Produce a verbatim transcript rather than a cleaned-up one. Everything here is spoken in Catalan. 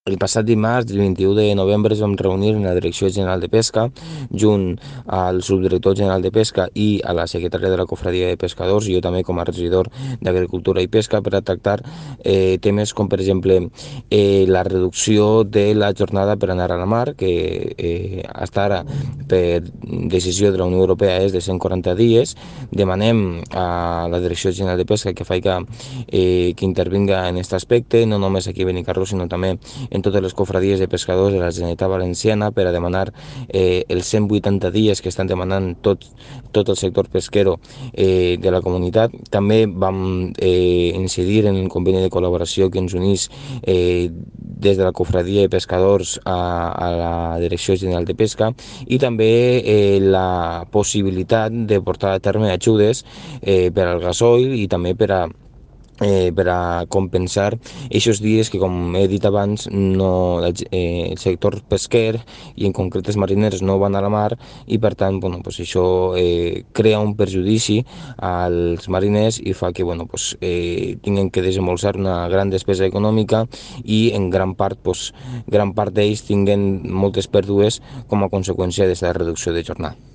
El passat dimarts, el vint-i-u de novembre, ens vam reunir en la Direcció General de Pesca, junt al subdirector general de Pesca i a la secretària de la Cofradia de Pescadors, i jo també com a regidor d'Agricultura i Pesca, per a tractar eh, temes com, per exemple, eh, la reducció de la jornada per anar a la mar, que eh, fins ara, per decisió de la Unió Europea, és de cent quaranta dies. Demanem a la Direcció General de Pesca que faci eh, que intervinga en aquest aspecte, no només aquí a Benicarló, sinó també en totes les cofradies de pescadors de la Generalitat Valenciana, per a demanar eh, els cent vuitanta dies que estan demanant tot, tot el sector pesquero eh, de la comunitat. També vam eh, incidir en el conveni de col·laboració que ens unís eh, des de la cofradia de pescadors a, a la Direcció General de Pesca, i també eh, la possibilitat de portar a terme ajudes eh, per al gasoil i també per a Eh, per a compensar aquests dies que, com he dit abans, no, eh, el sector pesquer i en concret els mariners no van a la mar, i per tant bueno, pues això eh, crea un perjudici als mariners i fa que bueno, pues, eh, tinguin que desembolsar una gran despesa econòmica, i en gran part, pues, gran part d'ells tinguen moltes pèrdues com a conseqüència d'aquesta reducció de jornada.